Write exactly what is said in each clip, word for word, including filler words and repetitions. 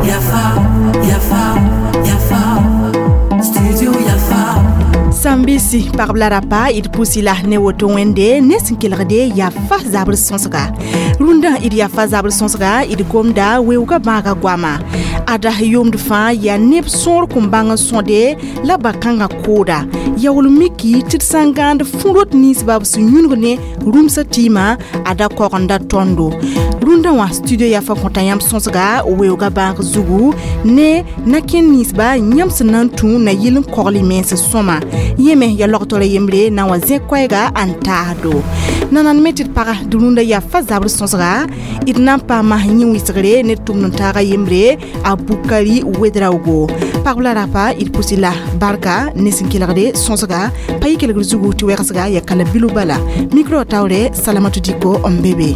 Yafa, Yafa, Yafa, Studio Yafa. Sambisi pagb la rapa d pusi la ne woto wẽnde ne sẽn kelgde yafa zabr sõsga rũndã d yafa zabr sõsga d gomda weoogã bãaga goama ada yʋʋmd fãa yaa neb sõor kõn bãng n sõde la ba-kãngã kooda yaool miki tɩ d sã n gãand fũ-rot ninsba b sẽn yũnug ne rũmsã tɩɩmã ada kogenda tõndo rũndã wã studio yafa kõta yãmb sõsga weoogã bãag zugu ne na-kẽnd ninsba yãmb sẽn na n tũ na yɩl n kogl y mens sõma yẽ me ya logtora yembre na wa zẽ koɛɛga n taasdo nanan me tɩ d paga d rũndã yafa zabr sõsga d na n paama yẽ wɩsgre ne tʋmd n taaga yembre a Bukari Ouedraogo pagb la rapa d pusi la barka ne sẽn kelgde sõsga pa yɩ kelgr zugu tɩ wɛgsga ya kala bilu bala micro taoore Salamatu Diko n be be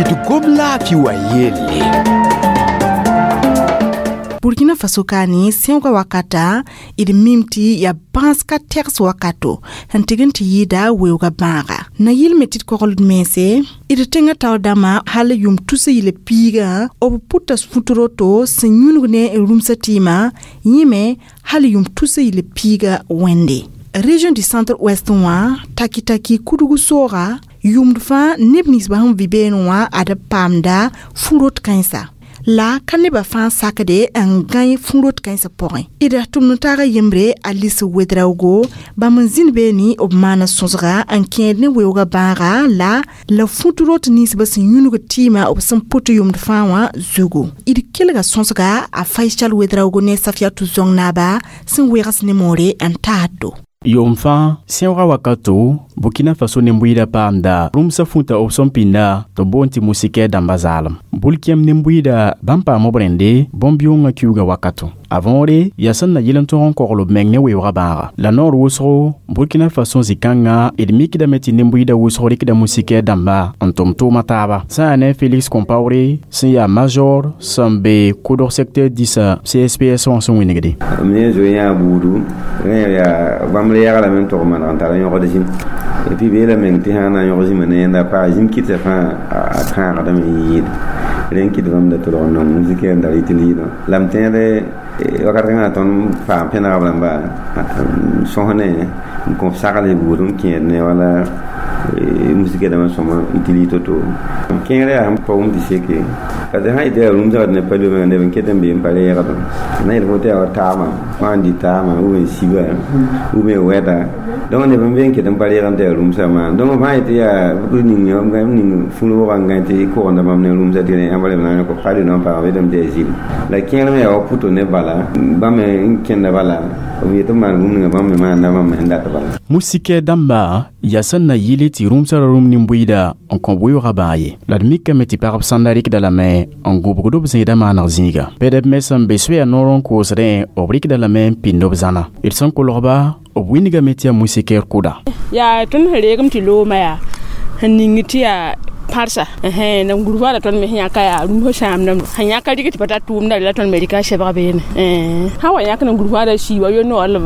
d gom laafɩ wa yelle Burkina Faso kaani sẽoogã wakata d mim tɩ yaa bãas ka tɛgs wakato sẽn tɩg n tɩ yɩɩda weoogã bãaga na yɩl me tɩ d kogld mense d tẽngã taoor dãmbã hal yʋm tusa yɩl piigã b pʋta fut roto sẽn yũnug ne rũmsã tɩɩmã yẽ me hal yʋm tusa yɩl piigã wẽnde région du centre ouest wã taki-taki kudg sooga yʋmd fãa neb ninsbã sẽn vɩ beene wã ad paamda fu-rot kãensa la ka nebã fãa sakde n gãe fũ-rot kãensã pʋgẽ d tʋmd n taaga yembre Alice Ouedraogo bãmb n zĩnd beene b maana sõsga n kẽed ne weoogã bãaga la la fut-rot ninsbã sẽn yũnug tɩɩmã b sẽn pʋt yʋmd fãa wã zugu d kelga sõsga a Faisal Ouedraogo ne Safiatou Zong naaba sẽn wegs ne moore n taasdo yʋʋm fãa sẽoogã wakato Burkina Faso nin-bʋɩɩda paamda rũmsã fũta b sẽn pĩnda tɩ b boond tɩ moustiquaire dãmba zaalem bʋl-kẽem nin-bʋɩɩda bãmb paam b rẽnde bõn-bɩʋngã kiuugã wakato a võore yaa sẽn na yɩl n tõg n kogl b meng ne weoogã bãaga la noor wʋsgo Burkina Faso zĩ-kãngã d mikdame tɩ nin-bʋɩɩda wʋsg rɩkda moustiquaire dãmba n tʋm tʋʋma taaba sã yaa ne Félix Compaoré sẽn yaa major sẽn be kʋdg secteur dĩsã C S P S wã sẽn wĩnigde m ne zoe yã buudu rẽ yaa bãmb re yaglame n tog maneg n tar yõgd zĩm et puis beela meng tɩ sã na n yõg zĩma ne yẽnda paa zĩm kɩtsa fãa a kãagdame n yɩɩd rẽ n kɩt bãmb da tolg n nong moustiquaire n da rɩt liidã la m tẽede wakat kãngã tõnd paam pẽnegb rãmba sõs ne n kõ sagl buud n kẽed ne wala moustiquaire dãmbã sõma utilise to-to kẽngre yaa sẽn pa wʋm tɩ seke parce que sã yetɩ yaa rũmsã ne pa loe neb n ket n be n pa reegdẽ na yel fo tɩ yaa wa taama wã n dɩ taama ou bien siba ou bien wɛda donc neb n be n ket n pa reeg n tɩ yaa rũmsã maan donc fãa yetɩ yaa ning ning fũ-roogã n gãe tɩ kogenda bãmb ne rũmsã tɩ yãmb rem na n yõk pa rɩ paam yetame tɩ yaa zĩl la kẽer me yaa wa pʋto ne bala bãmb me n kẽnda bala b yetɩ b maan bũmb ninga bãmb me maanda bãmb me sẽn dat bala moustiquaire dãmba yaa sẽn na yɩle tɩ rũmsã ra rũm nin-bʋɩɩda n kõ weoogã bãag ye la d mikame tɩ pagb sãnda rɩkda lame n gũbgd b zẽeda maaneg zĩiga pɛdb me sẽn be soɛa noor n koosdẽ b rɩkda lame n pĩnd b zãna d sẽn kolgba b wĩnigame tɩ yaa moustiquaire kʋda yaa tõnd sẽn reegem tɩ loomã yaa sẽn ning tɩ yaa pãrsa na gũrba la tõnd me sẽn yãka yaa rũmsã sãamdame sẽn yãka rɩk tɩ pa tar tʋʋmda la tõnd me rɩka sebg beene sã wa yãk na gũrba sii wa yo noor la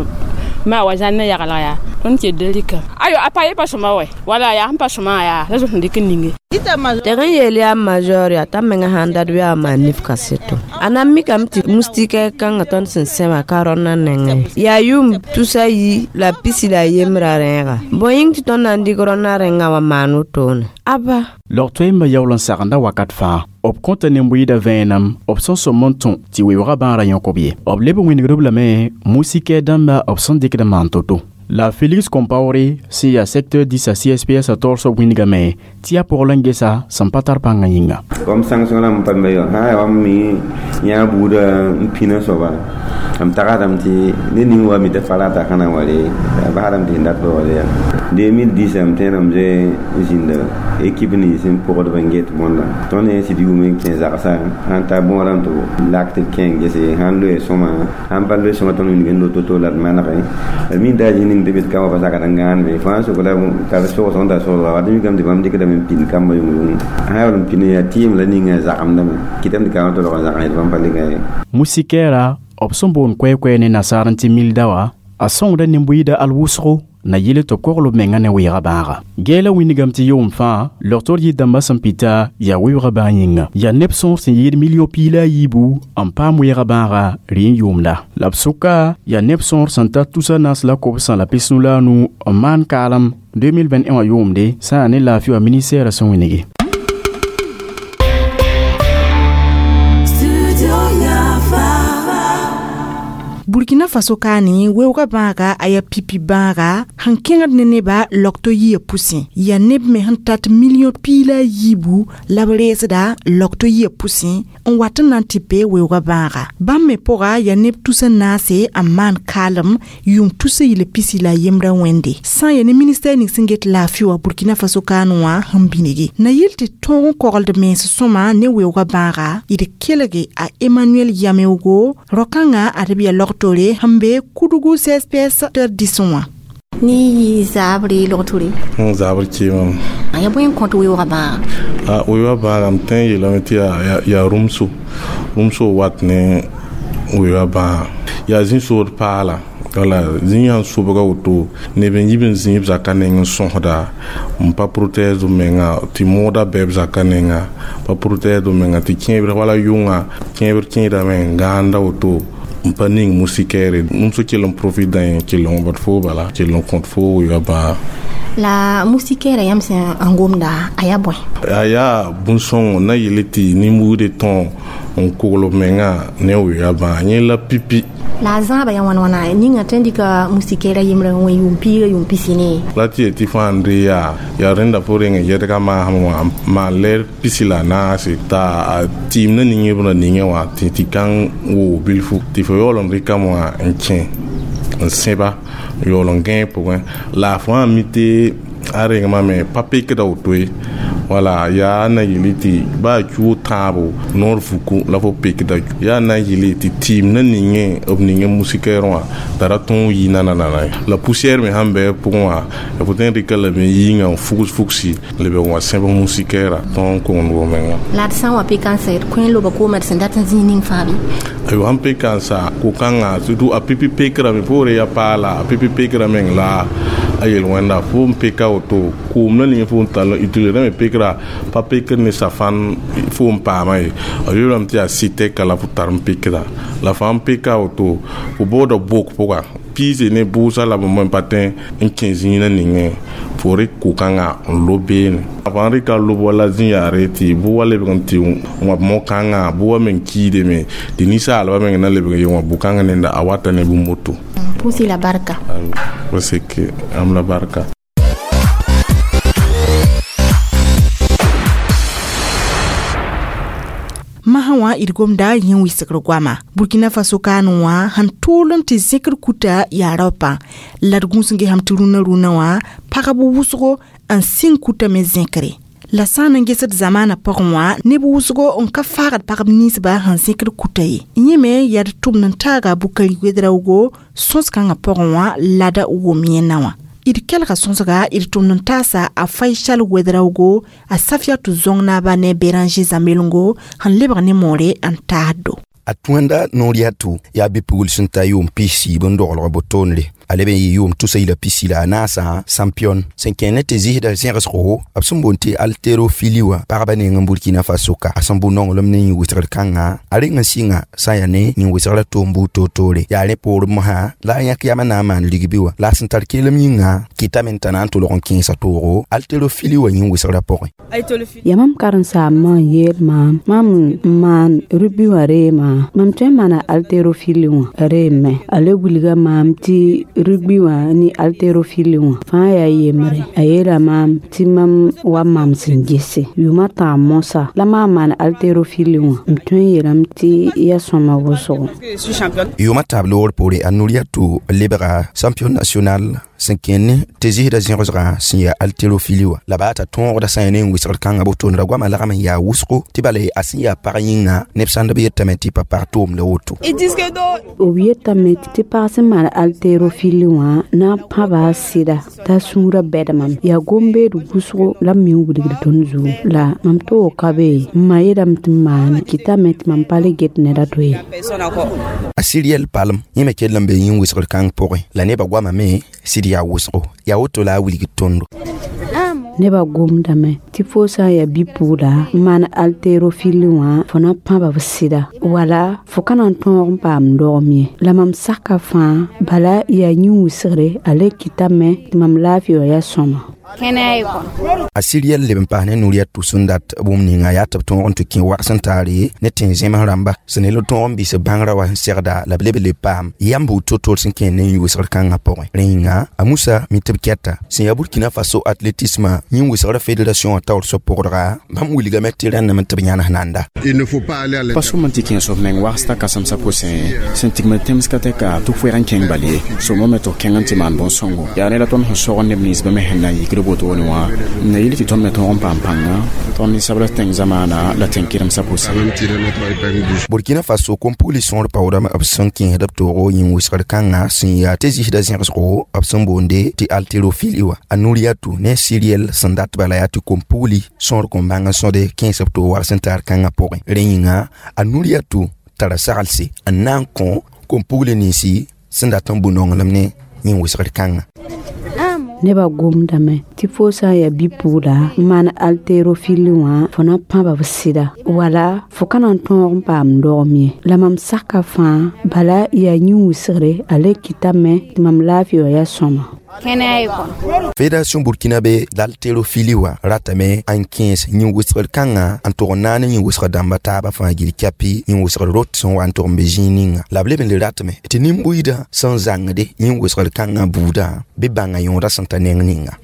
maa wa zãn ne yaglg yaa tõnd ket da rɩka ayo a pa ye pa sõma wɛ wala yaa sẽn pa sõma yaa la zoet n dɩk n ninge tɩg n yeel yaa major yaa t'a menga sãn dat yaa maan nif kaseto a na n mikame tɩ moustiquaire kãngã tõnd sẽn sẽma ka rõndã nengẽ yaa yʋʋm tusa yi la pisi la yembrã rẽega bõe yĩng tɩ tõnd na n dɩk rõndã rẽngã wã maan wotone aba log toeembã yaool n sagenda wakat fãa b kõta nin-bʋɩɩda vẽenem b sẽn sõm n tũ tɩ weoogã bãarã yõk b ye b leb n wĩnigd b lame moustiquaire dãmba b sẽn dɩkd n maan to-to la Félix Compaoré sẽn yaa secteur dĩsã C S P S a taoor soab wĩnigame tɩ yaa pogl n gesa sẽn pa tar pãngã yĩnga kom sanction la m pa me yo ha wa mi yã buuda n pĩna soaba m tagsdame tɩ ned ning wa mi tɩ farata kãna wale basdame tɩ sẽn dat ba wale yaa deux mille dix m tẽedame zoe n zĩnda équipe nins n pʋgdb n get bõnda tõnd ne sɩd yʋʋm n kẽ zagsã sãn ta bõodame tɩ lak tɩ d kẽ gese sãn loe sõma sãn pa loe sõma tõnd wilg n lo to-to la d manege d min taa zĩ ning tɩ bɩ kamba pa sakd n gãaneme fãa sok la tar sogsg n tar sogsga wat mikame tɩ bãmb dɩkdame n pĩnd kamba yʋng yʋng sã yaa n pĩnd yaa tɩɩm la ninga zagemdame kɩtame tɩ kambã tolg n zags bãmb pa le ye moustiquaire b sẽn boond koɛ-koɛɛ ne nasaar n tɩ mil daoa a sõngda nin-bʋɩɩda al wʋsgo na yele tɩ b kogl b menga ne weega bãaga gɛɛla wĩndgame tɩ yʋʋm fãa logtor yir dãmbã sẽn pita yaa weoogã bãag yĩnga yaa neb sõor sẽn yɩɩd million piig la a yiibu n paam weegã bãaga rɩ n yʋʋmda la b sʋka yaa neb sõor sẽn ta tusa naas la kobsã la pisnu la a nu n maan kaalem deux mille vingt et un wã yʋʋmde sã n yaa ne laafɩ wã ministɛɛrã sẽn wĩnge. Studio Yafa. Burkina Faso kaane weoogã bãaga a yaa pipi bãaga sẽn kẽngd ne neba logto yia pʋsẽ yaa neb me sẽn tat million piig la a yiibu la b reesda logto yia pʋsẽ n wat n na n tɩ pe weoogã bãaga bãmb me pʋga yaa neb tusa naase n maan kaalem yʋʋm tusa yɩl pisi la a yembrã wẽnde sã n yaa ne ministɛr ning sẽn get laafɩ wã Burkina Faso kaan wã sẽn binige na yɩl tɩ tõog n kogld mens sõma ne weoogã bãaga d kelge a Emmanuel Yameogo rao-kãngã ad b yaa logtore sẽn be Kudugu C S P S tɩ dɩsẽ wã. Ni zabre logtore. N zabr kɩɩmame. Ya bõe n kõt weoogã bãaga? A weoogã bãaga m tõe n yeelame tɩ yaa yaa rũmso rũmso wat ne weoogã bãaga yaa zĩ-sood paala wala zĩ sãn sobga woto neb n yib n zĩ b zakã neng n sõsda n pa protège b menga tɩ moodã bɩ b zakã nenga pa protège b menga tɩ kẽebr wala yʋnga kẽebr kẽedame n gãanda woto n pa ning moustiquaire rũmso kell n profit dã yẽ kell n wãbd foo bala kell n kõt foo weoogã bãaga. La moustiquaire yãmb sẽn n gomda a yaa bõe? A yaa bũn-sõngo na yele tɩ nin-buudẽ tõo n kogl b menga ne weoogã bãaga yẽ la pipi. La a zãaba yaa wãn wãna ninga tõe n dɩka moustiquaire yembrã n wẽ yʋʋm piiga yʋʋm pisi ne? La tɩ ye tɩ fãa n re yaa yaa rẽnda fo reng n yɛdga maasem wã maan lɛɛr pisi la a naase t'a tɩɩm na ning b ra ningẽ wã tɩ tɩ kãng woog bilfu tɩ fo yaool n rɩkame wã n kẽ n sẽba n yaool n gãe pʋgẽ la fo wã mi tɩ a rengmame pa pekda woto ye wala yaa na yele tɩ baa cuo tãabo noor vuku la fo pekda yaa na yele tɩ tɩɩm na ningẽ b ningẽ moustiquaire wã t'a ra tõog yi nanana ye la poussière me sãn bɩ b pʋgẽ wã fo tõe n rɩka lame yĩngã n fugs fugsi leb n wa sẽb moustiquaire tõog n kongd b menga. La d sã n wa pekãnsa d kõ n loba koomã d sẽn dat n zĩig ning fãa bɩ? Ayo sãn pekãnsa ko-kãngã surtout a pipi pekrame poore ya paala a pipi pekra meng la a yel-wẽnda fo n peka woto koom la ning fo n tall n utiliser me pekra pa pekr ne safan fo n paama ye a yoolame tɩ yaa sɩtɛka la fo tar n pekda la fãa n peka woto fo booda bok pʋga piise ne bʋʋsa la b n pa tõe n kẽ zĩigã ningẽ fo rɩk ko-kãngã n lob beene fãa rɩka lob wala zĩ yaare tɩ bʋ wa lebg n tɩ wãb mo-kãngã bʋ wa meng kiidame tɩ ninsaalbã meng na lebg n ye wã bʋ-kãngã nenda a wata ne bũmb woto. Pʋʋs-y la barka. Wa seke am la barka. Masã wã d gomda yẽ wɩsgr goama Burkina Faso kaan wã sẽn tʋʋl n tɩ zẽkr kuta yaa raopã la d gũus n gesame tɩ rũnã rũnã wã pagb wʋsgo n sɩng kuta me zẽkre la sã n n gesd zamaanã pʋgẽ wã neb wʋsgo n ka faagd pagb ninsba sẽn zẽkd kuta ye yẽ me yaa d tʋmd n taaga Bukari Wedraogo sõs-kãngã pʋgẽ wã lada wʋm yẽnna wã d kelga sõsga d tʋmd n taasa a Faisal Wedraogo a Safiatou Zõng-naaba ne Béranger Zamelngo sẽn lebg ne moore n taasdo. A tõenda noor yaa tʋ yaa bɩ-pugl sẽn ta yʋʋm pis-siib n doglg botoonre a leb n yɩ yʋʋm tusa yila pisi la a naasã champion sẽn kẽnd tɩ zɩsda zẽgsgo b sẽn boond tɩ haltérophilie wã pagba neng n Burkina Faso ka a sẽn bʋ nonglem ne yĩn-wɩsgr kãngã a reng n sɩnga sã n yaa ne yĩn-wɩsgrã toom buud toor-toore yaa rẽ poorẽ mosã la a yãk yamã na n maan rigbi wã la a sẽn tar kelem yĩnga kɩtame t'a na n tʋlg n kẽesa toogo haltérophilie wã yĩn-wɩsgrã pʋgẽ. Ya mam karen-saambã n yeel maam mam n maan rugby wã reema mam tõe n maana haltérophilie wã reeme a le wilga maam tɩ rugby wã ne haltérophilie wã fãa yaa yembre a yeela maam tɩ mam wa maam sẽn gese yʋʋmã tãab mosã la maam maan haltérophilie wã m tõe n yeelame tɩ ya sõma wʋsgo. Yʋʋmã taab loogr poore a Nuriatou lebga champion national sẽn kẽnd tɩ zɩsda zẽgsgã sẽn yaa haltérophilie wã la baa t'a tõogda sã n yaa ne n wɩsgr kãngã botoonda goamã lagm n yaa wʋsgo tɩ bala a sẽn yaa pag yĩnga neb sãnd b yetame tɩ pa pag toomda woto. B yetame tɩ pag sẽn maan haltérophilie wã na n pãba a sɩda t'a sũurã bɛd mam yaa gom-beed wʋsgo la m me n wilgd tõnd zugu la mam toog ka be n ma yeelame tɩ m maane kɩtame tɩ mam pa le get ned a to ye. A Siriel palem yẽ me kell n be yĩn-wɩsgr kãng pʋgẽ la nebã goamame sɩd tɩ d yaa wʋsgo yaa woto la a wilg tõndo. Nebã gomdame tɩ fo sã n yaa bi-pugla n maan haltérophilie wã fo na pãba b sɩda wala fo ka na n tõog n paam dogem ye la mam saka fãa bala yaa yĩn-wɩsgre a le kɩtame tɩ mam laafɩ wã yaa sõma. A siriɛl leb n paas ne Nuriatu sẽn dat bũmb ninga yaa tɩ b tõog n tɩ kẽ wags n taare ne tẽn-zẽms rãmba sẽn nel tõog n bɩs bãngrã wa sẽn segda la b leb le paam yam buud to-to sẽn kẽer ne yĩn-wɩsgr kãngã pʋgẽ. Rẽ yĩnga a Musa mi tɩ b kɛta sẽn yaa Burkina Faso athlétisme yĩn-wɩsgrã fédération wã taoor soab pʋgdga bãmb wilgame tɩ rẽndame tɩ b yãnes nanda. Pa sõm n tɩ kẽes f meng wagsda kãsemsã pʋsẽ sẽn tigmd tẽms ka tɛka tɩ f wɛg n kẽng bal ye sõmame tɩ f kẽng n tɩ maan bõn-sõngo yaa ne la tõnd sẽn sog neb nins bãmb sẽn na n yikd wotone wã n na yɩl tɩ tõnd me tõog n paam pãnga tõnd ninsabl tẽng zamaana la tẽn-kɩremsã pʋsẽ. Burkina Faso kom-pugli sõor paoodame b sẽn kẽesd b toogo yĩn-wɩsgr kãngã sẽn yaa tɩ zɩsda zẽgsgo b sẽn boonde tɩ haltérophilie wã. A Nuriatu ne Siriɛl sẽn dat bala yaa tɩ kom-pugli sõor kõn bãng n sõde kẽes b toog wags n taar kãngã pʋgẽ. Rẽ yĩnga a Nuriatu tara saglse n na n kõ kom-pugli ninsi sẽn dat n bũ nonglem ne yĩn-wɩsgr kãngã. Nebã gomdame tɩ fo sã n yaa bi-pugla n maan haltérophilie wã fo na pãba b sɩda wala fo ka na n tõog n paam dogem ye la mam saka fãa bala yaa yĩn-wɩsgre a le kɩtame tɩ mam laafɩ wã yaa sõma. Fédération burkinabé d'haltérophilie wã ratame n kẽes yĩn-wɩsgr kãngã n tʋg n naag ne yĩn-wɩsgr dãmba taabã fãa gill kɛpɩ yĩn-wɩsgr rot sẽn wa n tʋg n be zĩig ninga la b leb n le ratame tɩ nin-buiidã sẽn zãngde yĩn-wɩsgr kãngã buudã bɩ bãnga yõodã sẽn ta neng ninga.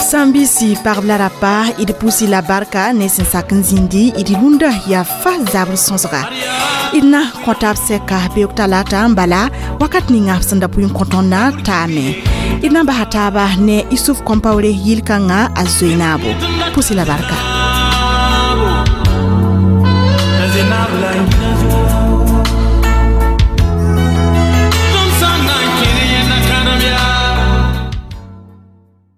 Sambisi pagb la rapa d pusi la barka ne sẽn sak n zĩndi d rũndã yaa fa zabr sõsga d na kõ taab sɛka beoog talata n bala wakat ninga sẽn da pʋɩ n kõ tõndã taame d na n basa taaba ne Isuf Kɔmpawre yil-kãngã a zoe naabo pusi la barka.